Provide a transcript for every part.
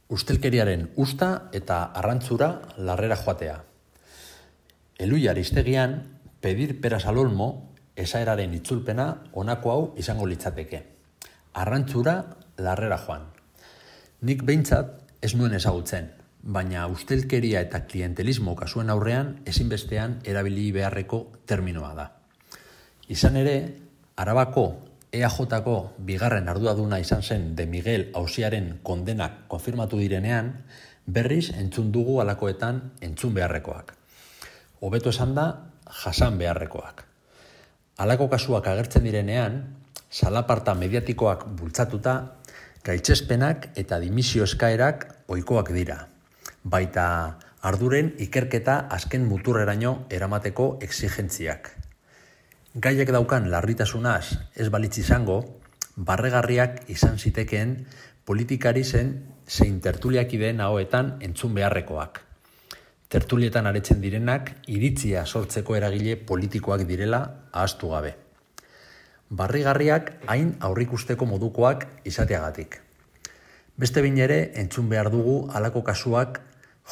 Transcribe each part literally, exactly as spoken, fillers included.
Ustelkeriaren usta eta arrantzura larrera joatea. Elui Aristegian, pedir peras al olmo, esaeraren itzulpena honako hau izango litzateke. Arrantzura larrera joan. Nik behintzat ez nuen ezagutzen, baina ustelkeria eta klientelismo kasuen aurrean ezinbestean erabili beharreko terminoa da. Izan ere, Arabako E A Jko bigarren arduraduna izan zen De Miguel auziaren kondenak konfirmatu direnean, berriz entzun dugu halakoetan entzun beharrekoak. Hobeto esan da, jasan beharrekoak. Halako kasuak agertzen direnean, salaparta mediatikoak bultzatuta, gaitzespenak eta dimisio eskaerak ohikoak dira. Baita arduren ikerketa azken muturreraino eramateko exigentziak. Gaiak daukan larritasunaz ez balitz izango, barregarriak izan zitekeen politikari zen zein tertuliakideen ahoetan entzun beharrekoak. Tertulietan aretzen direnak iritzia sortzeko eragile politikoak direla ahaztu gabe. Barrigarriak hain aurrikusteko modukoak izateagatik. Beste behin ere entzun behar dugu halako kasuak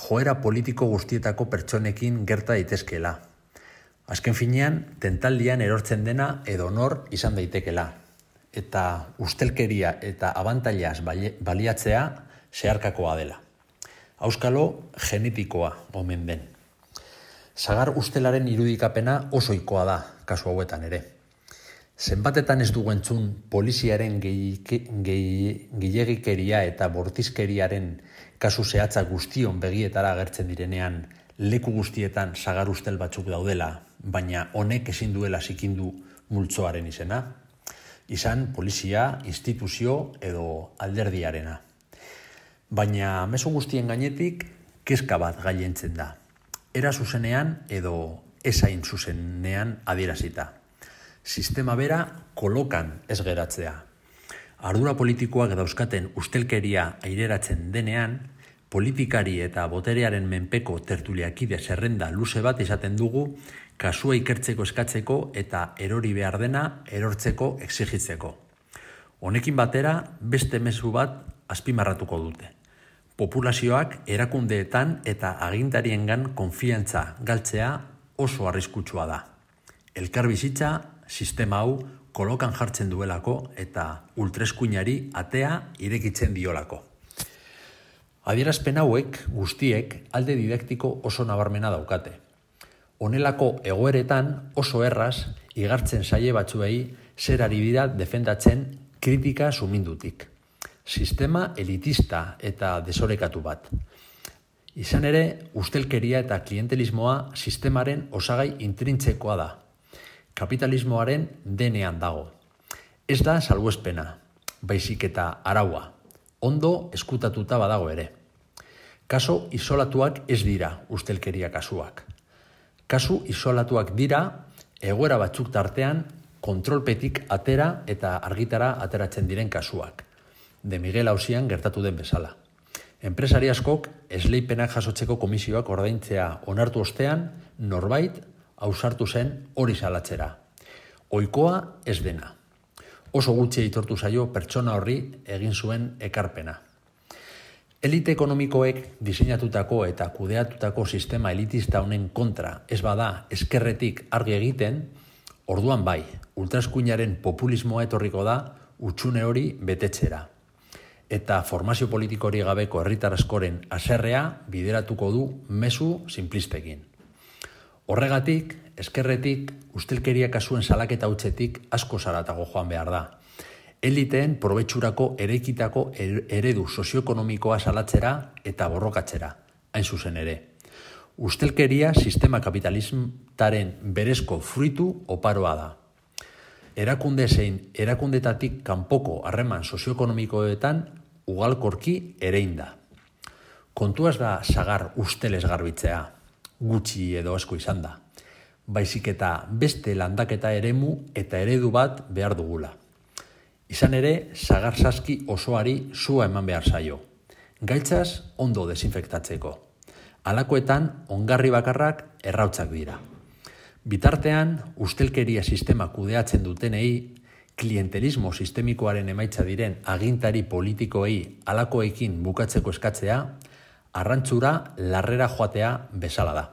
joera politiko guztietako pertsonekin gerta daitezkeela. Azken finean, tentaldian erortzen dena edo nor izan daitekela. Eta ustelkeria eta abantailaz baliatzea zeharkakoa dela. Auskalo genetikoa omen den. Sagar ustelaren irudikapena oso ohikoa da, kasu hauetan ere. Zenbatetan ez dugu entzun poliziaren gehiegikeria eta bortizkeriaren kasu zehatza guztion begietara agertzen direnean leku guztietan sagar ustel batzuk daudela, baina honek ezin duela zikindu multzoaren izena. Izan polizia, instituzio edo alderdiarena. Baina mezu guztien gainetik kezka bat gailentzen da. Era zuzenean edo ezain zuzenean adierazita. Sistema bera kolokan ez geratzea. Ardura politikoak dauzkaten ustelkeria aireratzen denean, politikari eta boterearen menpeko tertuliakide zerrenda luze bat izaten dugu kasua ikertzeko eskatzeko eta erori behar dena erortzeko exigitzeko. Honekin batera beste mezu bat azpimarratuko dute. Populazioak erakundeetan eta agintariengan konfiantza galtzea oso arriskutsua da. Elkarbizitza sistema hau kolokan jartzen duelako eta ultreskuinari atea irekitzen diolako. Adierazpen hauek guztiek alde didaktiko oso nabarmena daukate. Honelako egoeretan oso erraz igartzen zaie batzuei zer ari dira defendatzen kritika sumindutik. Sistema elitista eta desorekatu bat. Izan ere, ustelkeria eta klientelismoa sistemaren osagai intrintzekoa da. Kapitalismoaren denean dago. Ez da salbuespena, baizik eta araua. Ondo eskutatuta badago ere. Kaso isolatuak ez dira ustelkeria kasuak. Kasu isolatuak dira egoera batzuk tartean kontrolpetik atera eta argitara ateratzen diren kasuak. De Miguel auzian gertatu den bezala. Enpresari askok esleipenak jasotzeko komisioak ordaintzea onartu ostean norbait ausartu zen hori salatzera. Ohikoa ez dena. Oso gutxi aitortu zaio pertsona horri egin zuen ekarpena. Elite ekonomikoek diseinatutako eta kudeatutako sistema elitista honen kontra ez bada eskerretik argi egiten, orduan bai, ultraeskuinaren populismoa etorriko da hutsune hori betetzera. Eta formazio politikori gabeko herritar askoren haserrea bideratuko du mezu sinplistekin. Horregatik, eskerretik, ustelkeria kasuen salaketa hutsetik asko zaratago joan behar da. Eliteen probetxurako ereikitako eredu sozioekonomikoa salatzera eta borrokatzera, hain zuzen ere. Ustelkeria sistema kapitalismaren berezko fruitu oparoa da. Erakunde zein erakundetatik kanpoko harreman sozioekonomikoetan ugalkorki erein da. Kontuaz da sagar ustelez garbitzea, gutxi edo asko izan da. Baizik eta beste landaketa eremu eta eredu bat behar dugula. Izan ere, sagar saski osoari sua eman behar zaio. Gaitzaz ondo desinfektatzeko. Halakoetan ongarri bakarrak errautzak dira. Bitartean, ustelkeria sistema kudeatzen dutenei klientelismo sistemikoaren emaitza diren agintari politikoei halakoekin bukatzeko eskatzea, arrantzura larrera joatea bezala da.